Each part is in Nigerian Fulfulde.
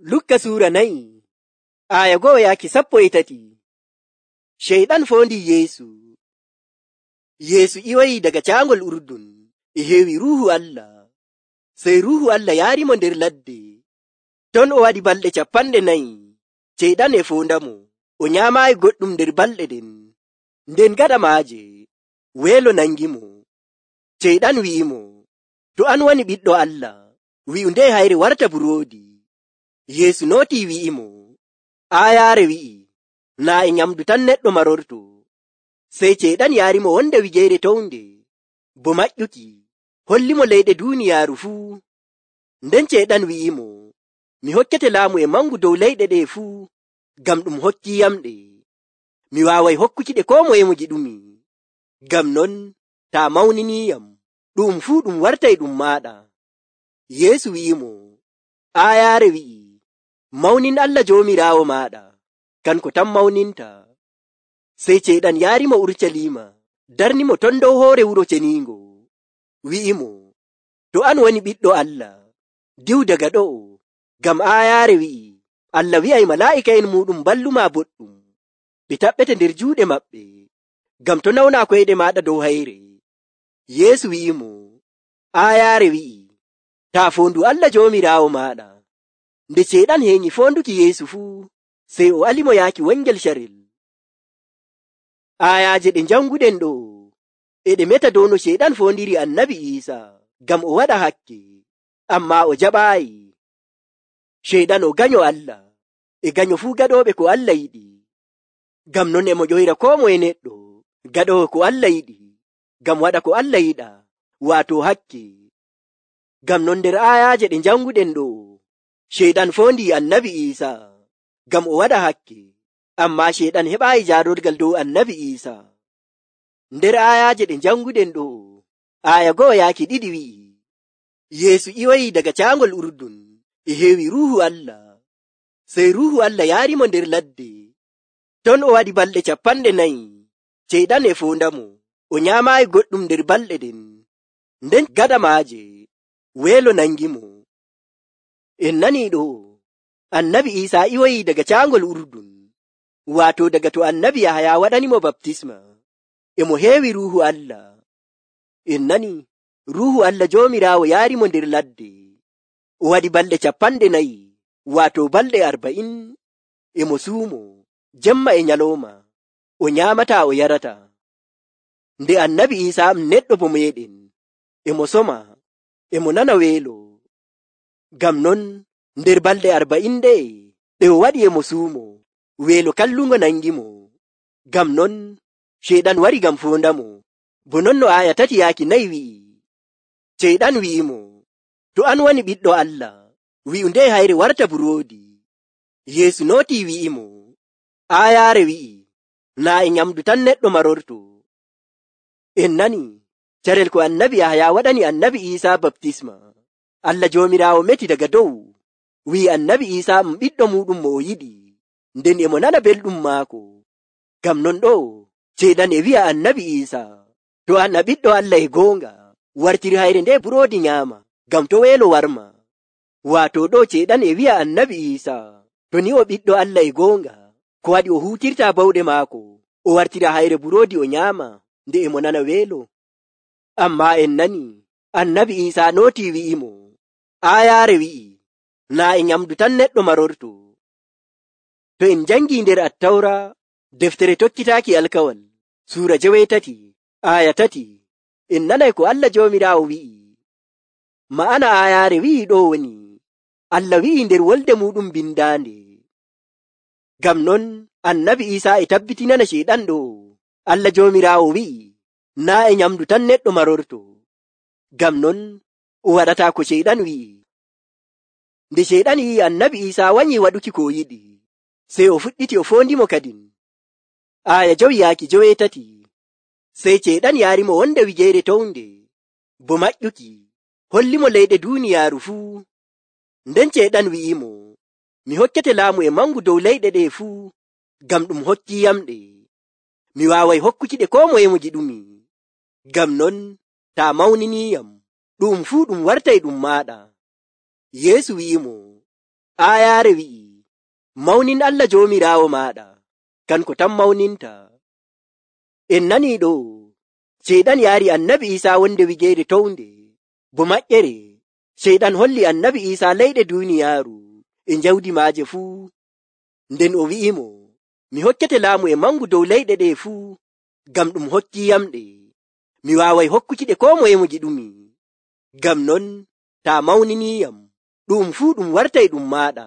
Lukka suura 4 aya 1:13. Sheyɗan fondi Yeesu. Yeesu iwayi daga caangol Urdun e heewi Ruuhu Allah. Sey Ruuhu Allah yaarimo nder ladde. Ton o waɗi balɗe 40. Sheyɗan e fondamo. O nyaamaayi goɗɗum nder balɗe ɗen. Nden gaɗa maaje weelo nangimo. Sheyɗan wi'imo, to an woni ɓiɗɗo Allah, wi'u nde hayre warta buroodi. Yeesu nooti wi'imo, aayaare wi'i, naa e nyamdu tan neɗɗo marorto. Sey Sheyɗan yaarimo wonde wigeere townde, bo maƴƴuki, hollimo leyɗe duuniyaaru fuu. Nden Sheyɗan wi'imo, mi hokkete laamu e mangu dow leyɗe ɗe fuu, ngam ɗum hokkiyamɗe. Mi waaway hokkukiɗe koo moye mo giɗumi. Ngam non, taa mawniniyam, ɗum fuu ɗum wartay ɗum maaɗa. Yeesu wi'imo, aayaare wi'i, mawnin Allah Joomiraawo maaɗa, kanko tan mawninta. Sey Sheyɗan yaarimo Urucaliima, darnimo ton dow hoore wuro ceniingo. Wi'imo, to an woni ɓiɗɗo Allah, diw daga ɗo'o, ngam aayaare wi'i, Allah wi'ay malaa'ika'en muuɗum balluma boɗɗum, ɓe taɓɓete nder juuɗe maɓɓe, ngam to nawna koyɗe maaɗa dow hayre. Yeesu wi'imo, aayaare wi'i, taa foondu Allah Joomiraawo maaɗa. Nde Sheyɗan heñi foonduki Yeesu fuu, sey o alimo yaaki wongel carel. Ayaaje ɗe janguɗen ɗo e ɗe meta dow no Sheyɗan foondiri Annabi Iisaa ngam o waɗa hakke, ammaa o jaɓaayi. Sheyɗan o ganyo Allah, e ganyo fuu gaɗooɓe ko Allah yiɗi. Ngam non e mo ƴoyra koo moye neɗɗo gaɗoowo ko Allah yiɗi, ngam waɗa ko Allah yiɗa, waato hakke. Ngam non nder ayaaje ɗe janguɗen ɗo, Sheyɗan foondi Annabi Iisaa ngam o waɗa hakke, ammaa Sheyɗan heɓaayi jaarorgal dow Annabi Iisaa. Nder ayaaje ɗe janguɗen ɗo, aya 1:2 wi'i, Yeesu iwayi daga caangol Urdun e heewi Ruuhu Allah. Sey Ruuhu Allah yaarimo nder ladde. Ton o waɗi balɗe 40. Sheyɗan e fondamo. O nyaamaayi goɗɗum nder balɗe ɗen. Nden gaɗa maaje weelo nangimo. En nanii ɗo, Annabi Iisaa iwayi daga caangol Urdun, waato daga to Annabi Yahaya waɗanimo baptisma, e mo heewi Ruuhu Allah. En nani, Ruuhu Allah Joomiraawo yaarimo nder ladde. O waɗi balɗe 40, waato balɗe 40, e mo suumo, jemma e nyalooma, o nyaamataa o yarata. Nde Annabi Iisaa neɗɗo bo meeɗen, e mo soma, e mo nana weelo. Ngam non, nder balɗe 40 ɗe o waɗi e mo suumo, weelo kallungo nangimo. Ngam non, Sheyɗan wari ngam foondamo, bo non no aya 3-4 wi'i. Sheyɗan wi'imo, to an woni ɓiɗɗo Allah, wi'u nde hayre warta buroodi. Yeesu nooti wi'imo, aayaare wi'i, naa e nyamdu tan neɗɗo marorto. En nani, carel ko Annabi Yahaya waɗani Annabi Iisaa baptisma, Allah Joomiraawo meti daga dow, wi'i Annabi Iisaa ɓiɗɗo muuɗum mo o yiɗi, nden e mo nana belɗum maako. Ngam non ɗo, Sheyɗan e wi'a Annabi Iisaa, to an a ɓiɗɗo Allah e goonga, wartir hayre nde buroodi nyaama, ngam to weelo warma. Waato ɗo Sheyɗan e wi'a Annabi Iisaa, to ni o ɓiɗɗo Allah e goonga, ko waɗi o huutirta bawɗe maako, o wartira hayre buroodi o nyaama, nde e mo nana weelo. Ammaa en nani, Annabi Iisaa nooti wi'imo, aayaare wi'i, naa e nyamdu tan neɗɗo marorto. To en jangi nder Attawra, deftere tokkitaaki alkawal, suura 8, aya 3, en nanay ko Allah Joomiraawo wi'i. Ma'ana aayaare wi'i ɗo woni, Allah wi'i nder wolde muɗum bindaande. Ngam non, Annabi Iisaa e tabbitinana Sheyɗan ɗo, Allah Joomiraawo wi'i, naa e nyamdu tan neɗɗo marorto. Ngam non, o waɗata ko Sheyɗan wi'i. Nde Sheyɗan yi'i Annabi Iisaa wanyi waɗuki ko yiɗi, sey o fuɗɗiti o foondimo kadin. Aya 5-7. Sey Sheyɗan yaarimo wonde wigeere townde, bo maƴƴuki, hollimo leyɗe duuniyaaru fuu. Nden Sheyɗan wi'imo, mi hokkete laamu e mangu dow leyɗe ɗe fuu, ngam ɗum hokkiyamɗe. Mi waaway hokkukiɗe koo moye mo giɗumi. Ngam non, taa mawniniyam, ɗum fuu ɗum wartay ɗum maaɗa. Yeesu wi'imo, Aayaare wi'i, mawnin Allah Joomiraawo maaɗa, kanko tan mawninta. En nanii ɗo, Ceyɗan yaari Annabi Iisaa wonde wigeere townde, bo maƴƴere, Ceyɗan holli Annabi Iisaa leyɗe duuniyaaru e jawdi maaje fuu. Nden o wi'imo, mi hokkete laamu e mangu dow leyɗe ɗe fuu, ngam ɗum hokkiyamɗe. Mi waaway hokkukiɗe koo moye mo giɗumi. Ngam non, taa mawniniyam, ɗum fuu ɗum wartay ɗum maaɗa.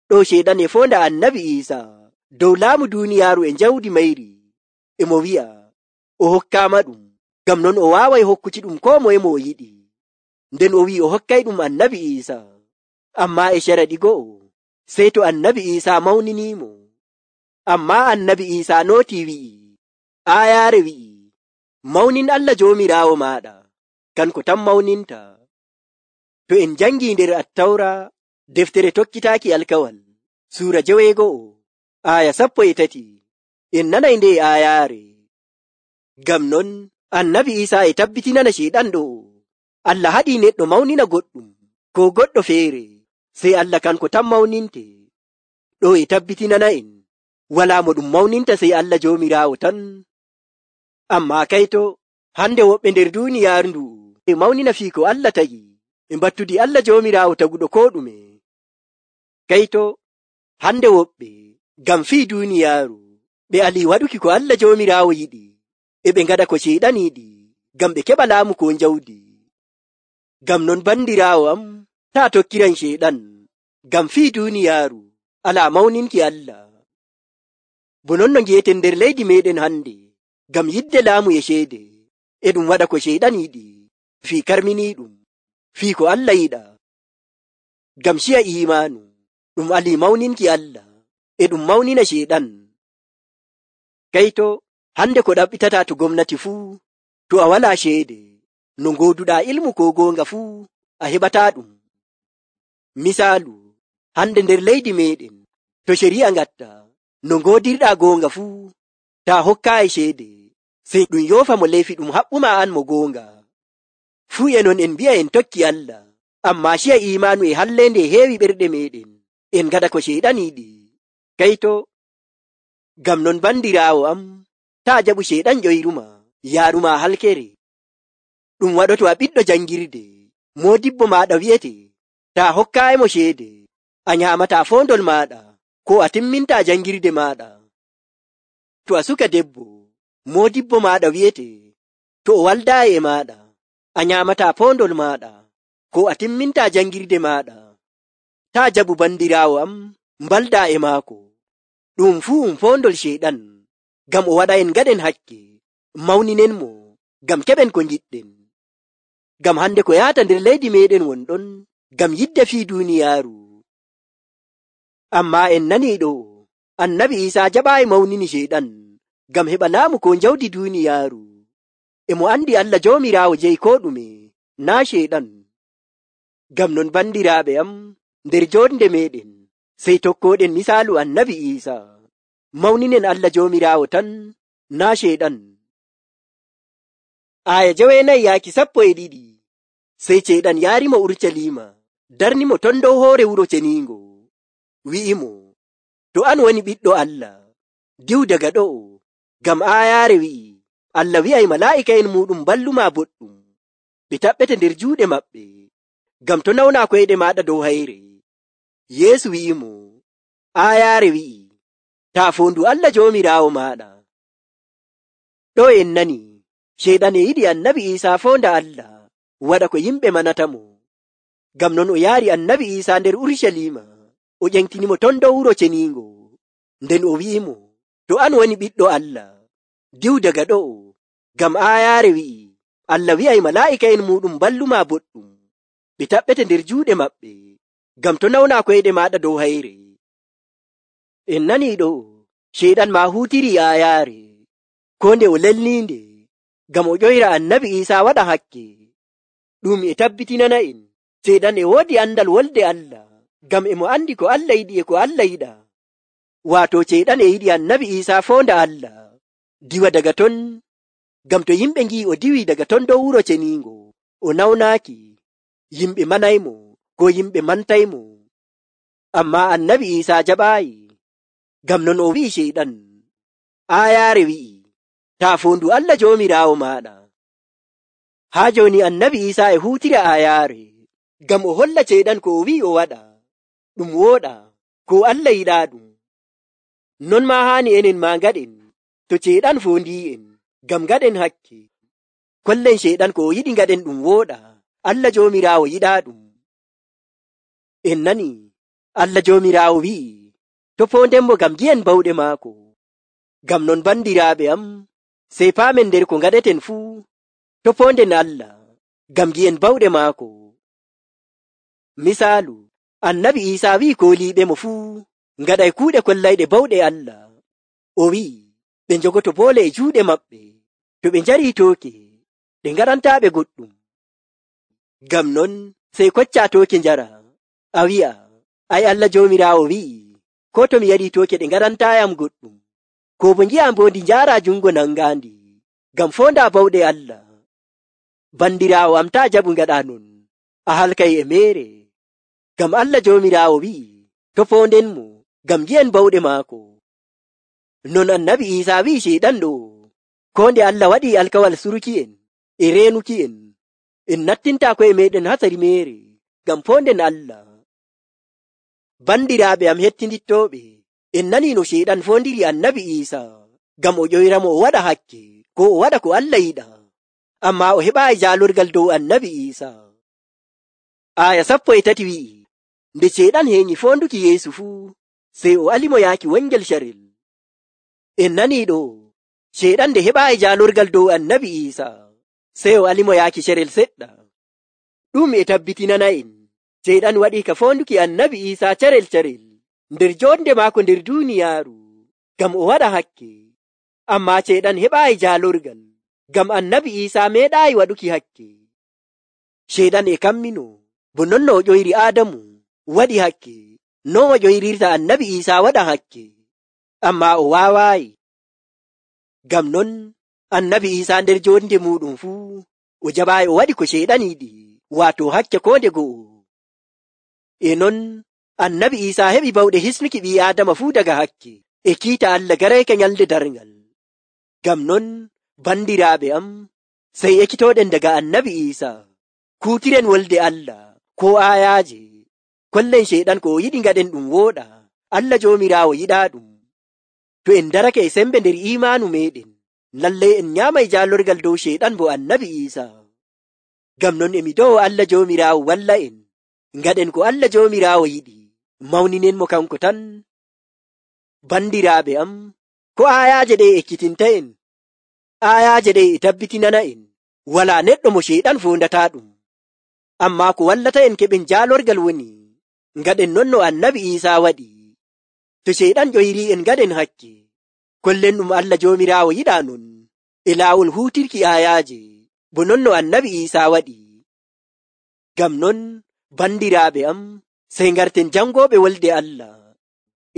Ɗo Ceyɗan e foonda Annabi Iisaa dow laamu duuniyaaru e jawdi mayri, e mo wi'a o hokkaama ɗum, ngam non o waaway hokkuki ɗum koo moye mo o yiɗi. Nden o wi'i o hokkay ɗum Annabi Iisaa, ammaa e caraɗi go'o, sey to Annabi Iisaa mawniniimo. Ammaa Annabi Iisaa nootii wi'i, aayaare wi'i, mawnin Allah Joomiraawo maaɗa, kanko tan mawninta. To en jangii nder Attawra, deftere tokkitaaki alkawal, suura 9, aaya 13, en nanay nde aayaare. Ngam non, Annabi Iisaa e tabbitinana Ceyɗan ɗo, Allah haɗii neɗɗo mawnina goɗɗum, ko goɗɗo feere, sey Allah kanko tan mawninte. Ɗo e tabbitinana en, walaa mo ɗum mawninta sey Allah Joomiraawo tan. Ammaa kayto, hande woɓɓe nder duuniyaaru ndu e mawnina fii ko Allah tagi, e mbattudi Allah Joomiraawo taguɗo koo ɗume. Kayto, hande woɓɓe, ngam fii duuniyaaru, ɓe alii waɗuki ko Allah Joomiraawo yiɗi, e ɓe ngaɗa ko Ceyɗan yiɗi, ngam ɓe keɓa laamu ko jawdi. Ngam non bandiraawo am, taa tokkiran Ceyɗan, ngam fii duuniyaaru, alaa mawninki Allah. Bo non no ngi'eten nder leydi meɗen hande, ngam yidde laamu e ceede, e ɗum waɗa ko Ceyɗan yiɗi, fii karminiiɗum, fii ko Allah yiɗa. Ngam ciya iimaanu, ɗum alii mawninki Allah, e ɗum mawnina Ceyɗan. Kayto, hande ko ɗaɓɓitataa to gomnati fuu, to a walaa ceede, no ngooduɗaa ilmu ko goonga fuu, a heɓataa ɗum. Misaalu, hande nder leydi meɗen, to ceri'a ngatta, no ngoodirɗaa goonga fuu, taa hokkaayi ceede, sey ɗum yoofa mo leyfi ɗum haɓɓuma an mo goonga. Fuu e non en mbi'a en tokki Allah, ammaa ciya iimaanu e halleende heewi ɓerɗe meɗen, en ngaɗa ko Ceyɗan yiɗi. Kayto, ngam non bandiraawo am, taa jaɓu Ceyɗan ƴoyruma, yaaruma halkere. Ɗum waɗoto a ɓiɗɗo jangirde, moodibbo maaɗa wi'ete, taa hokkaayimo ceede, a nyaamataa foondol maaɗa, ko a timmintaa jangirde maaɗa. To a suka debbo, moodibbo maaɗa wi'ete, to o waldaayi e maaɗa, a nyaamataa foondol maaɗa, ko a timmintaa jangirde maaɗa. Taa jaɓu bandiraawo am, mbaldaa e maako. Ɗum fuu foondol Ceyɗan, ngam o waɗa en ngaɗen hakke, mawninen mo, ngam keɓen ko ngiɗɗen. Ngam hande ko yaata nder leydi meɗen wonɗon, ngam yidde fii duuniyaaru. Ammaa en nanii ɗo, Annabi Iisaa jaɓaayi mawnini Ceyɗan, ngam heɓa laamu ko jawdi duuniyaaru. E mo andi Allah Joomiraawo jeyi koo ɗume, naa Ceyɗan. Ngam non bandiraaɓe am, nder joonde meɗen, sey tokkooɗen misaalu Annabi Iisaa, mawninen Allah Joomiraawo tan, naa Ceyɗan. Aaya 9-12, sey Ceyɗan yaarimo Urucaliima, darnimo ton dow hoore wuro ceniingo, wi'imo, to an woni ɓiɗɗo Allah, diw daga ɗo'o, ngam aayaare wi'i, Allah wi'ay malaa'ika'en muɗum balluma boɗɗum, ɓe taɓɓete nder juuɗe maɓɓe, ngam to nawnaa koyɗe maaɗa dow hayre. Yeesu wi'imo, aayaare wi'i, taa foondu Allah Joomiraawo maaɗa. Ɗo en nani, Ceyɗan e yiɗi Annabi Iisaa foonda Allah, waɗa ko yimɓe manatamo. Ngam non o yaari Annabi Iisaa nder Urucaliima, o ƴentinimo ton dow wuro ceniingo, nden o wi'imo, to an woni ɓiɗɗo Allah, diw daga ɗo'o, ngam aayaare wi'i, Allah wi'ay malaa'ika'en muɗum balluma boɗɗum, ɓe taɓɓete nder juuɗe maɓɓe, ngam to nawnaa koyɗe maaɗa dow hayre. En nanii ɗo, Ceyɗan maa huutiri aayaare, ko nde o lelniinde, ngam o ƴoyra Annabi Iisaa waɗa hakke. Ɗum e tabbitinana en, Ceyɗan e woodi andal wolde Allah, ngam e mo andi ko Allah yiɗi e ko Allah yiɗa. Waato Ceyɗan e yiɗi Annabi Iisaa foonda Allah, diwa daga ton, ngam to yimɓe ngi'i o diwi daga ton dow wuro ceniingo, o nawnaaki, yimɓe manaymo, ko yimɓe mantaymo. Ammaa annabi Iisaa jaɓaayi. Ngam non o wi'i Sheyɗan, aayaare wi'i, taa foondu Allah Joomiraawo maaɗa. Haa jooni annabi Iisaa e huutira aayaare ngam o holla Sheyɗan ko o wi'i o waɗa ɗum wooɗa, ko Allah yiɗaaɗum. Non maa haani enen maa ngaɗen to Sheyɗan foondii'en ngam ngaɗen hakke. Kollen Sheyɗan ko o yiɗi ngaɗen ɗum wooɗa, Allah Joomiraawo yiɗaaɗum. En nani Allah Joomiraawo wi'i to foondenmo ngam gi'en bawɗe maako. Ngam non bandiraaɓe am, sey paamen nder ko ngaɗeten fuu to foonden Allah ngam gi'en bawɗe maako. Misaalu, annabi Iisaa wi'i kooliiɓemo fuu ngaɗay kuuɗe kollayɗe bawɗe Allah. O wi'i ɓe njogoto boole e juuɗe maɓɓe, to ɓe njarii tooke ɗe ngaɗantaaɓe goɗɗum. Ngam non sey koccaa tooke njara, a wi'a, ay Allah Joomiraawo wi'i, ko to mi yarii tooke ɗe ngaɗantaayam goɗɗum, ko bo ngi'aa mbondi njaaraa jungo nangaandi, ngam foondaa bawɗe Allah. Bandiraawo am taa jaɓu ngaɗaa non, a halkay e meere. Ngam Allah Joomiraawo wi'i to foondenmo ngam gi'en bawɗe maako. Non annabi Iisaa wi'i Sheyɗan ɗo, koo nde Allah waɗii alkawal suruki'en e reenuki'en, en nattintaa ko'e meeɗen hasari meere ngam foonden Allah. Bandiraaɓe am hettindittooɓe, en nanii no Sheyɗan foondiri annabi Iisaa ngam o ƴoyramo o waɗa hakke, ko o waɗa ko Allah yiɗa, ammaa o heɓaayi jaalorgal dow annabi Iisaa. Aaya 13 wi'i, nde Sheyɗan heeƴi foonduki Yeesu fuu, sey o alimo yaaki wongel carel. En nanii ɗo, Sheyɗan nde heɓaayi jaalorgal dow annabi Iisaa, sey o alimo yaaki carel seɗɗa. Ɗum e tabbitinana en Sheyɗan waɗii ka foonduki annabi Iisaa carel nder joonde maako nder duuniyaaru ngam o waɗa hakke. Ammaa Sheyɗan heɓaayi jaalorgal ngam annabi Iisaa meeɗaayi waɗuki hakke. Sheyɗan e kammino bo non no o ƴoyri Aadamu waɗi hakke, non o ƴoyrirta annabi Iisaa waɗa hakke, ammaa o waawaayi. Ngam non annabi Iisaa nder joonde muuɗum fuu o jaɓaayi o waɗi ko Sheyɗan yiɗi, waato hakke koo nde go'o. E non annabi Iisaa heɓi bawɗe hisnuki ɓii Aadama fuu daga hakke e kiita Allah garayka nyalde darngal. Ngam non bandiraaɓe am, sey ekkitooɗen daga annabi Iisaa, kuutiren wolde Allah koo aayaaje, kollen Sheyɗan ko o yiɗi ngaɗen ɗum wooɗa, Allah Joomiraawo yiɗaaɗum. To en darake e sembe nder iimaanu meeɗen, lallay en nyaamay jaalorgal dow Sheyɗan bo annabi Iisaa. Ngam non emi do'o Allah Joomiraawo walla en, ngaɗen ko Allah Joomiraawo yiɗi, mawninenmo kanko tan. Bandiraaɓe am, ko aayaaje ɗe ekkitinta en, aayaaje ɗe e tabbitinana en walaa neɗɗo mo Sheyɗan foondataa ɗum. Ammaa ko wallata en keɓen jaalorgal woni ngaɗen non no annabi Iisaa waɗi. To Sheyɗan ƴoyrii en ngaɗen hakke, kollen ɗum Allah Joomiraawo yiɗaa non e laawol huutirki aayaaje, bo non no annabi Iisaa waɗi. Ngam non bandiraaɓe am, sey ngarten jangooɓe wolde Allah,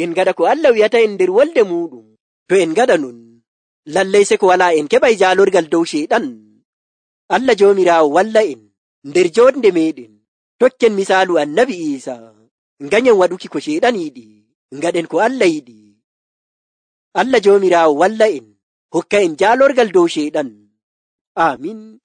en ngaɗa ko Allah wi'ata en nder wolde muuɗum. To en ngaɗa non, lallay se ko walaa en keɓay jaalorgal dow Sheyɗan. Allah Joomiraawo walla en nder joonde meeɗen, tokken misaalu annabi Iisaa, nganyen waɗuki ko Sheyɗan yiɗi, ngaɗen ko Allah yiɗi. Allah Joomiraawo walla en, hokka en jaalorgal dow Sheyɗan. Aamin.